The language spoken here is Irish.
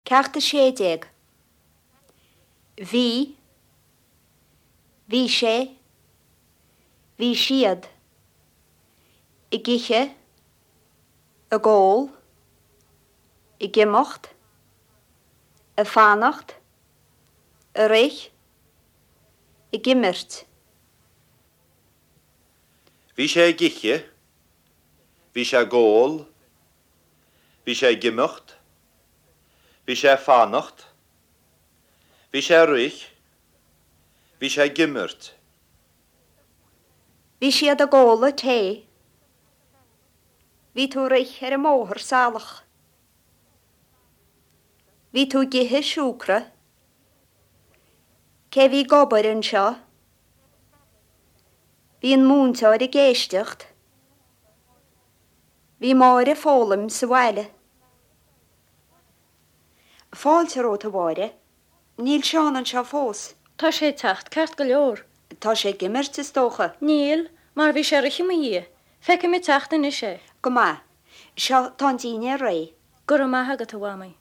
Ceacht 16. Bhí, Bhí sé, Bhí siad, ag ithe, ag ól, ag imeacht, ag fanacht, ag rith, ag imirt. Bhí sé ag ithe, Bhí sé ag ól, Bhí sé ag imeacht. Bhí sé ag fanacht. Bhí sé ag rith. Bhí sé ag imirt. Bhí siad ag ól an tae. Bhí tú ag rith ar an mbóthar salach. Bhí tú ag ithe siúcra. Cé a bhí ag obair anseo? Bhí an múinteoir ag éisteacht. Bhí Máire ag foghlaim sa bhaile. Fáilte romhat, a Mháire. Níl Seán anseo fós. Tá sé ag teacht ceart go leor. Tá sé ag imirt, is dócha. Níl, mar bhí sé ag rith i mo dhiaidh. Feicim ag teacht anois é. Go maith. Seo, tá an dínnéar réidh. Go raibh maith agat, a Mhamaí.